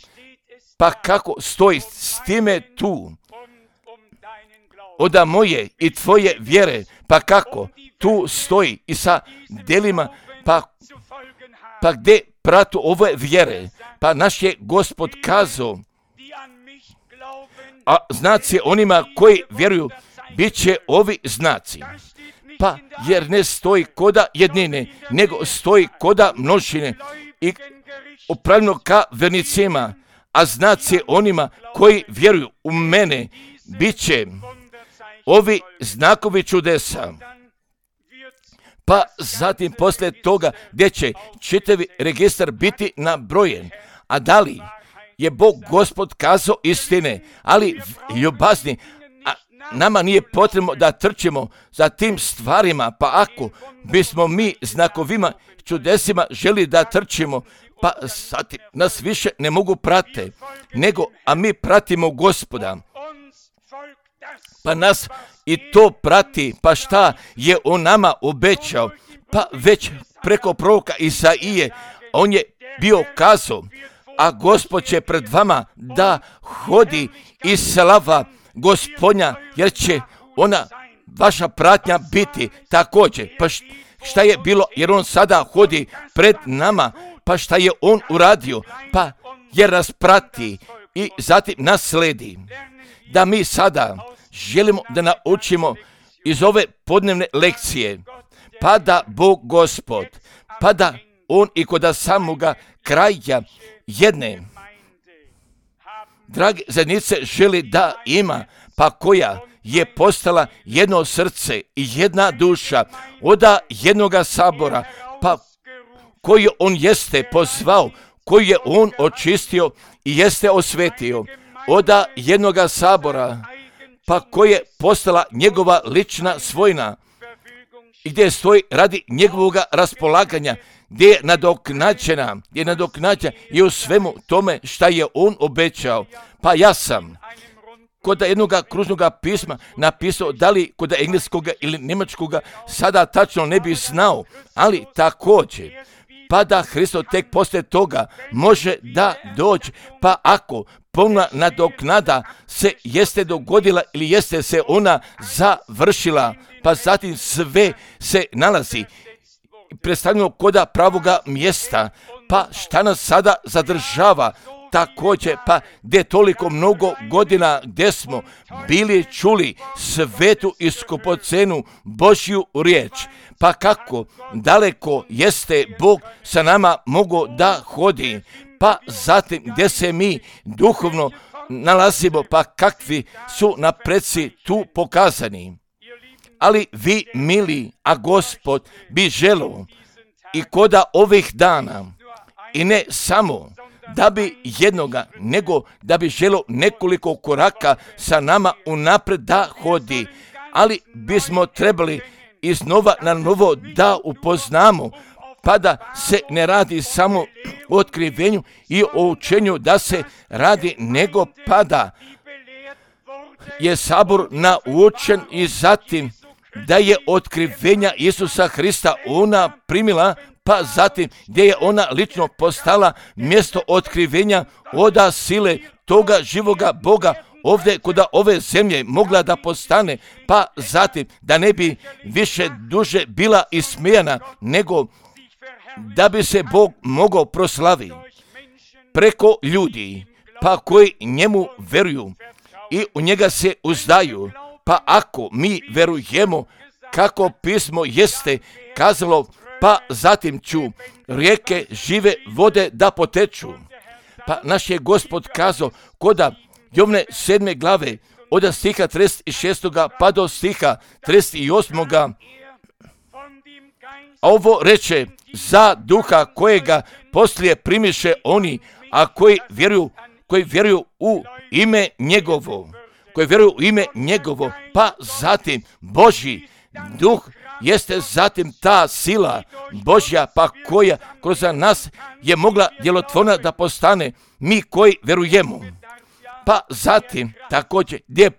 Pa kako stoji s time tu? Od moje i tvoje vjere, pa kako tu stoji i sa delima, pa gdje pratu ove vjere, pa naš je Gospod kazao, a znaci onima koji vjeruju, bit će ovi znaci. Pa jer ne stoji koda jednine, nego stoji koda množine i upravljeno ka vernicima, a znaci onima koji vjeruju u mene, bit će ovi znakovi čudesa. Pa zatim poslije toga gdje će čitavi registar biti nabrojen. A da li je Bog Gospod kazao istine, ali ljubazni, nama nije potrebno da trčimo za tim stvarima, pa ako bismo mi znakovima čudesima želi da trčimo, pa zatim nas više ne mogu prate, nego, a mi pratimo Gospoda. Pa nas i to prati, pa šta je on nama obećao, pa već preko proroka Isaije, on je bio kazao, a Gospod će pred vama da hodi i slava Gospodnja, jer će ona vaša pratnja biti također. Pa šta je bilo, jer on sada hodi pred nama, pa šta je on uradio, pa jer nas prati i zatim nas sledi. Da mi sada želimo da naučimo iz ove podnevne lekcije, pa da Bog Gospod, pa da on i kod samoga kraja jedne drage zajednice želi da ima, pa koja je postala jedno srce i jedna duša od jednoga sabora, pa koji on jeste pozvao, koji je on očistio i jeste osvetio od jednoga sabora, pa koja je postala njegova lična svojina i gdje stoji radi njegovoga raspolaganja, gdje je nadoknađena i u svemu tome šta je on obećao. Pa ja sam kod jednog kružnog pisma napisao, da li kod engleskoga ili njemačkoga sada tačno ne bi znao, ali također, pa da Hristo tek poslije toga može da dođe, pa ako polna nadoknada se jeste dogodila ili jeste se ona završila, pa zatim sve se nalazi predstavljeno koda pravoga mjesta, pa šta nas sada zadržava također, pa gdje toliko mnogo godina gdje smo bili čuli svetu i skupocenu Božju riječ, pa kako daleko jeste Bog sa nama mogao da hodi, pa zatim gdje se mi duhovno nalazimo, pa kakvi su napreci tu pokazani. Ali vi, mili, a Gospod bi želio i koda ovih dana, i ne samo da bi jednoga, nego da bi želio nekoliko koraka sa nama unapred da hodi, ali bismo trebali iznova na novo da upoznamo, pa da se ne radi samo o otkrivenju i o učenju da se radi, nego pa da je sabor naučen i zatim da je otkrivenja Isusa Hrista ona primila, pa zatim gdje je ona lično postala mjesto otkrivenja oda sile toga živoga Boga ovdje kod ove zemlje mogla da postane, pa zatim da ne bi više duže bila ismijana, nego da bi se Bog mogao proslaviti preko ljudi, pa koji njemu veruju i u njega se uzdaju. Pa ako mi verujemo kako pismo jeste kazalo, pa zatim ću rijeke žive vode da poteču. Pa naš je Gospod kazao koda Jovne 7. glave od stiha 36. pa do stiha 38. A ovo reče za duha kojega poslije primiše oni, a koji vjeruju u ime njegovo. Koji vjeruju u ime njegovo, pa zatim Božji duh jeste zatim ta sila Božja, pa koja kroz nas je mogla djelotvorna da postane mi koji vjerujemo. Pa zatim također gdje je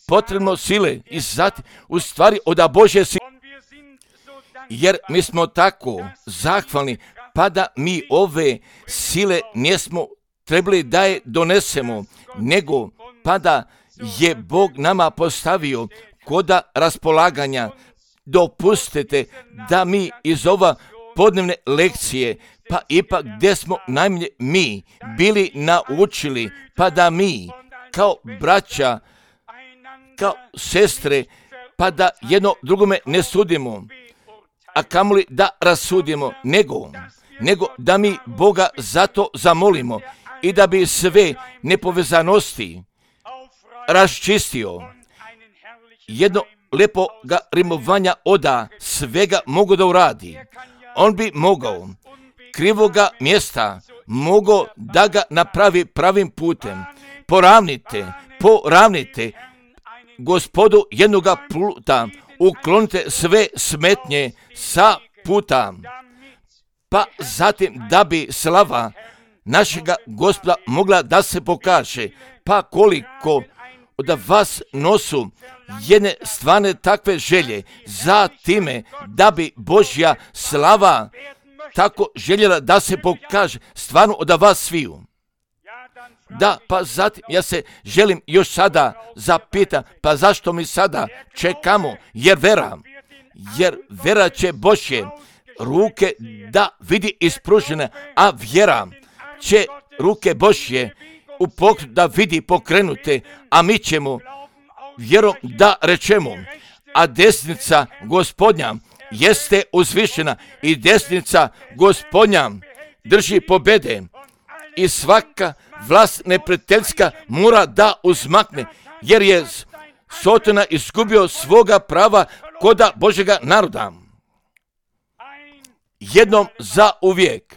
potrebno sile i zatim u stvari od Božje sile. Jer mi smo tako zahvalni, pa da mi ove sile nismo trebali da je donesemo, nego pa da je Bog nama postavio koda raspolaganja. Dopustite da mi iz ova podnevne lekcije, pa ipak gdje smo najmanje mi bili naučili, pa da mi kao braća, kao sestre, pa da jedno drugome ne sudimo, a kamoli da rasudimo, nego da mi Boga zato zamolimo i da bi sve nepovezanosti raščistio. Jedno lepo ga rimovanja oda svega mogu da uradi. On bi mogao krivoga mjesta mogao da ga napravi pravim putem. Poravnite Gospodu jednoga puta, uklonite sve smetnje sa puta, pa zatim da bi slava našega Gospoda mogla da se pokaže. Pa koliko od vas nosu jedne stvarne takve želje za time da bi Božja slava tako željela da se pokaže stvarno od vas sviju. Da, pa zatim ja se želim još sada zapita, pa zašto mi sada čekamo? Jer vera će Božje ruke da vidi ispružene, a vjera će ruke Božje u pokret da vidi pokrenute, a mi ćemo vjerom da rečemo, a desnica Gospodnja jeste uzvišena i desnica Gospodnja drži pobjede i svaka vlast neprijateljska mora da uzmakne, jer je Sotona izgubio svoga prava koda Božjega naroda. Jednom za uvijek.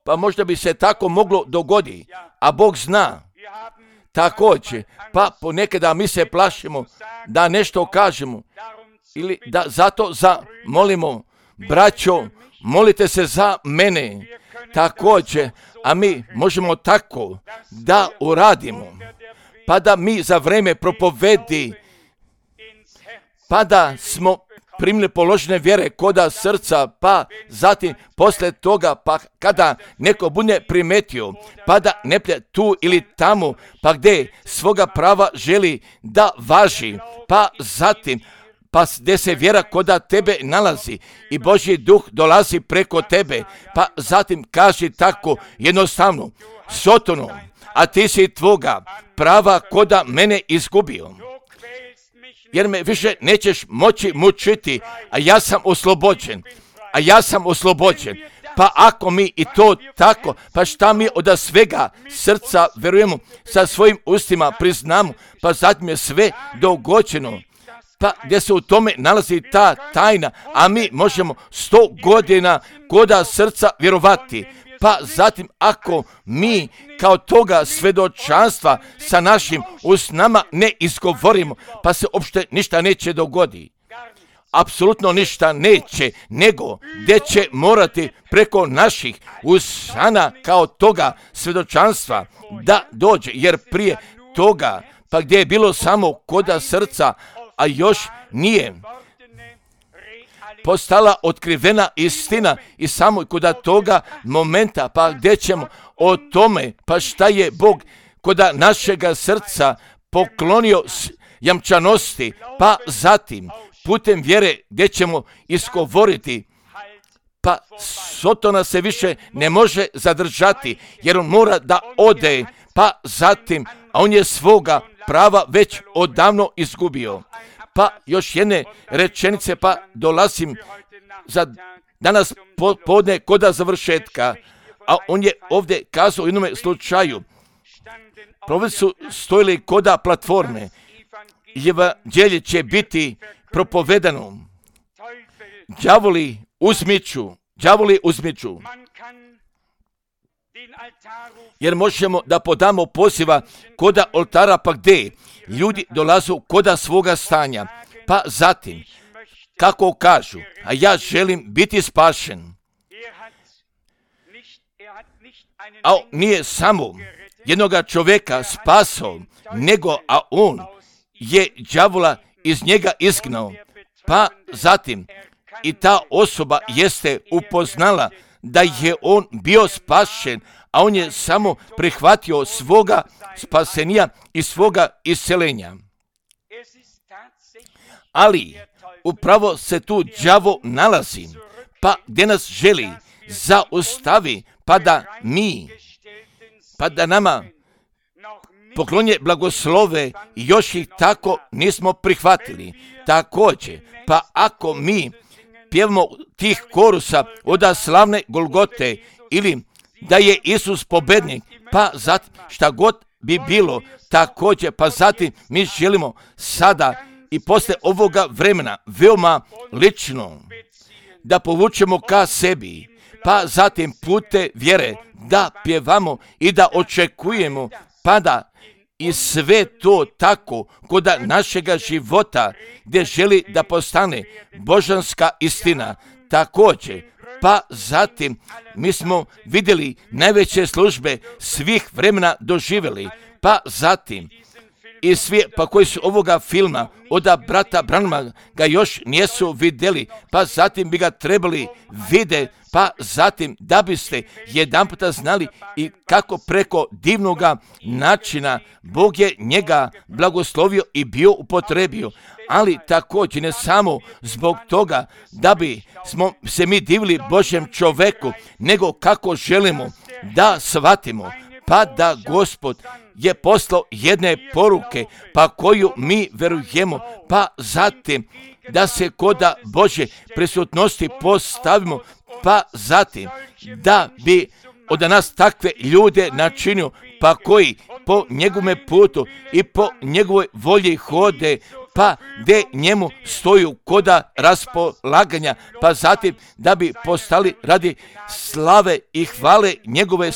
Pa možda bi se tako moglo dogoditi, a Bog zna. Također, pa ponekada mi se plašimo da nešto kažemo ili da zato molimo, braćo, molite se za mene. Također, a mi možemo tako da uradimo, pa da mi za vrijeme propovedi, pa da smo primili položene vjere koda srca, pa zatim poslije toga, pa kada neko bude primetio, pa da ne plje tu ili tamo, pa gdje svoga prava želi da važi, pa zatim, pa gdje se vjera koda tebe nalazi i Božji duh dolazi preko tebe, pa zatim kaži tako jednostavno, Sotono, a ti si tvoga prava koda mene izgubio. Jer me više nećeš moći mučiti, a ja sam oslobođen. Pa ako mi i to tako, pa šta mi od svega srca verujemo, sa svojim ustima priznamo, pa zatim je sve dogođeno. Pa gdje se u tome nalazi ta tajna, a mi možemo 100 godina koda srca vjerovati. Pa zatim ako mi kao toga svjedočanstva sa našim usnama ne izgovorimo, pa se uopšte ništa neće dogoditi. apsolutno ništa neće, nego gdje će morati preko naših usana kao toga svjedočanstva da dođe, jer prije toga, pa gdje je bilo samo koda srca, a još nije postala otkrivena istina i samo koda toga momenta, pa gdje ćemo o tome, pa šta je Bog koda našega srca poklonio jamčanosti, pa zatim putem vjere gdje ćemo iskovoriti, pa Sotona se više ne može zadržati, jer on mora da ode, pa zatim, a on je svoga prava već odavno izgubio. Pa još jedne rečenice, pa dolazim za danas podne koda završetka, a on je ovdje kazao u jednom slučaju, prove su stojili koda platforme, evanđelje će biti propovedano, đavoli uzmiču, jer možemo da podamo poziva koda oltara, pa gdje ljudi dolazu koda svoga stanja, pa zatim, kako kažu, a ja želim biti spašen, a nije samo jednoga čovjeka spasao, nego a on je đavola iz njega izgnao, pa zatim i ta osoba jeste upoznala da je on bio spašen, a on je samo prihvatio svoga spasenija i svoga iscelenja. Ali upravo se tu đavo nalazi, pa gdje nas želi zaustavi, pa da nama poklonje blagoslove, još ih tako nismo prihvatili. Također, pa ako mi pjevamo tih korusa od slavne Golgote ili da je Isus pobednik, pa zatim šta god bi bilo, također, pa zatim mi želimo sada i poslije ovoga vremena veoma lično da povučemo ka sebi, pa zatim pute vjere da pjevamo i da očekujemo, pa da i sve to tako koda našega života gdje želi da postane božanska istina. Također, pa zatim mi smo vidjeli najveće službe svih vremena doživjeli, pa zatim i svi pa koji su ovoga filma od brata Branhama ga još nisu vidjeli, pa zatim bi ga trebali vidjeti, pa zatim da biste jedanputa znali i kako preko divnoga načina Bog je njega blagoslovio i bio upotrebio, ali također ne samo zbog toga da bi smo se mi divili Božjem čoveku, nego kako želimo da shvatimo, pa da Gospod je poslao jedne poruke, pa koju mi verujemo, pa zatim da se koda Božje prisutnosti postavimo, pa zatim da bi od nas takve ljude načinio, pa koji po njegovome putu i po njegovoj volji hode, pa gdje njemu stoju koda raspolaganja, pa zatim da bi postali radi slave i hvale njegove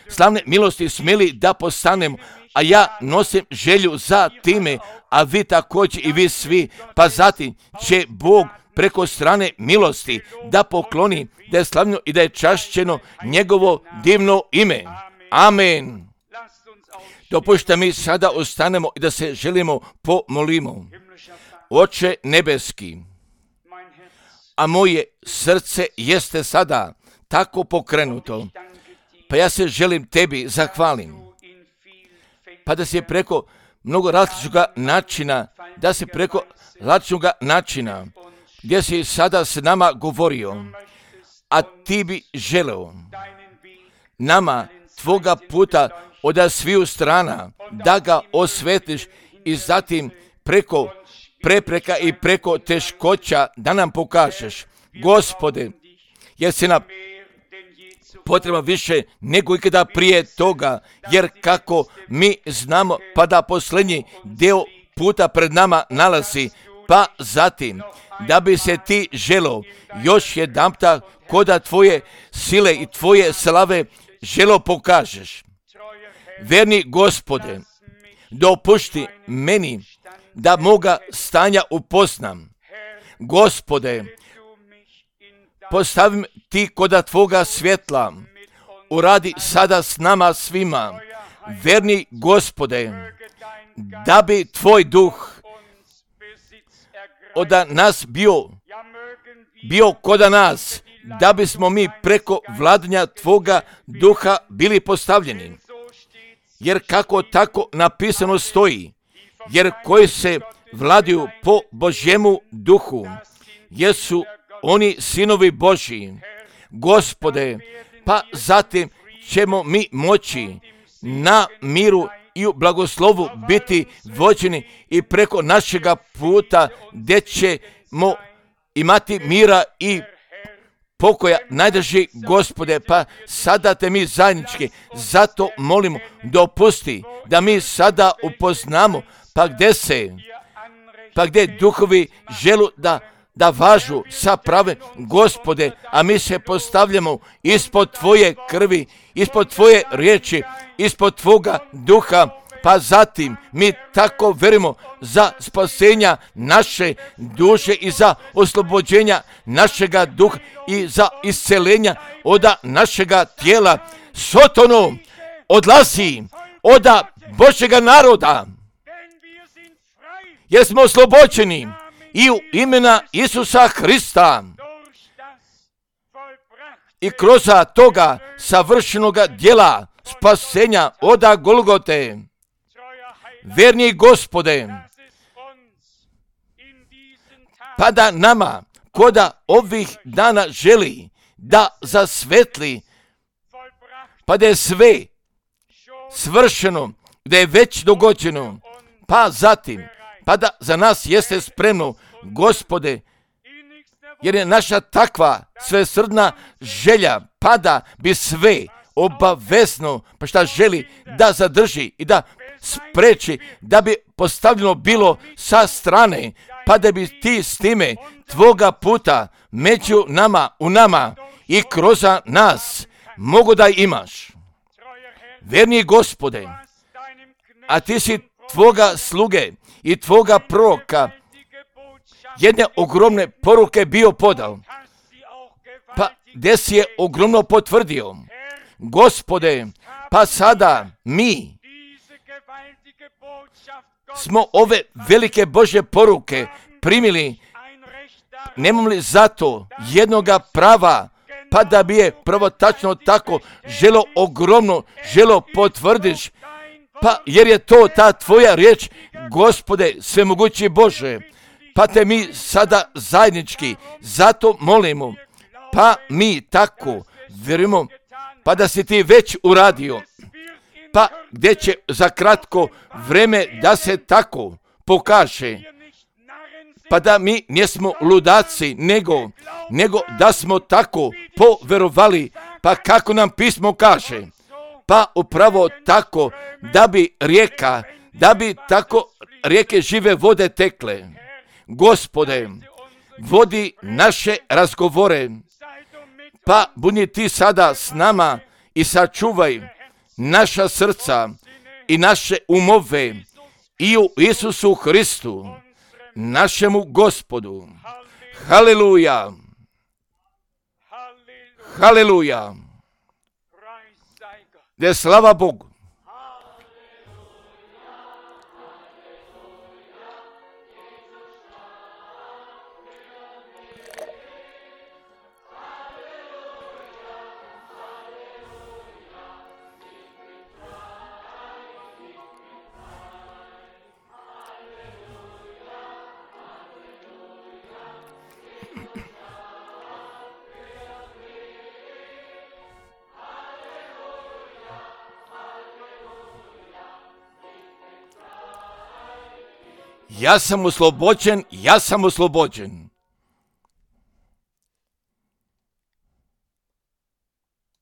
slavne milosti smjeli da postanemo. A ja nosim želju za time, a vi također i vi svi, pa zatim će Bog preko strane milosti da pokloni, da je slavno i da je čašćeno njegovo divno ime. Amen. Dopušta mi sada ostanemo i da se želimo pomolimo. Oče nebeski, a moje srce jeste sada tako pokrenuto, pa ja se želim tebi zahvalim, pa da se preko mnogo različitoga načina, gdje si sada s nama govorio, a ti bi želeo nama tvoga puta od sviju strana da ga osvetiš i zatim preko prepreka i preko teškoća da nam pokažeš. Gospode, jer se nam potreba više nego ikada prije toga, jer kako mi znamo, pa da posljednji dio puta pred nama nalazi, pa zatim da bi se ti želo još jedanputa koda tvoje sile i tvoje slave želo pokažeš. Verni Gospode, dopušti meni da moga stanja upoznam. Gospode, postavim ti koda Tvoga svjetla, uradi sada s nama svima, verni Gospode, da bi Tvoj duh od nas bio koda nas, da bismo mi preko vladanja Tvoga duha bili postavljeni. Jer kako tako napisano stoji, jer koji se vladaju po Božjemu duhu, jesu oni sinovi Božji. Gospode, pa zatim ćemo mi moći na miru i u blagoslovu biti vođeni i preko našega puta gdje ćemo imati mira i pokoja. Najdrži Gospode, pa sada te mi zajednički, zato molimo, dopusti da mi sada upoznamo, pa gdje duhovi želu da važu sa prave, Gospode, a mi se postavljamo ispod Tvoje krvi, ispod Tvoje riječi, ispod Tvoga duha, pa zatim mi tako verimo za spasenja naše duše i za oslobođenja našega duha i za iscelenja od našega tijela. Sotonu odlazi od Božjega naroda, jer smo oslobođeni i u imena Isusa Hrista i kroz toga savršenoga djela spasenja od Golgote. Verni Gospode, pa da nama koda ovih dana želi da zasvetli, pa da je sve svršeno, da je već dogođeno, pa zatim, pa da za nas jeste spremno, Gospode, jer je naša takva svesrdna želja, pa da bi sve obavezno, pa šta želi da zadrži i da spreči, da bi postavljeno bilo sa strane, pa da bi ti s time Tvoga puta među nama, u nama i kroz nas mogu da imaš. Verni Gospode, a ti si Tvoga sluge i Tvoga proroka jedne ogromne poruke bio podao, pa gdje si je ogromno potvrdio. Gospode, pa sada mi smo ove velike Božje poruke primili, nemamo li zato jednoga prava, pa da bi je pravotačno tako želo ogromno, želo potvrdiš, pa jer je to ta Tvoja riječ, Gospode, svemogući Bože, pa te mi sada zajednički zato molimo, pa mi tako vjerujemo, pa da si ti već uradio, pa gdje će za kratko vreme da se tako pokaže, pa da mi nismo ludaci, nego da smo tako poverovali, pa kako nam pismo kaže, pa upravo tako da bi tako rijeke žive vode tekle. Gospode, vodi naše razgovore, pa budi ti sada s nama i sačuvaj naša srca i naše umove i u Isusu Hristu, našemu Gospodu. Haleluja! Haleluja! Da je slava Bogu. Ja sam oslobođen, ja sam oslobođen.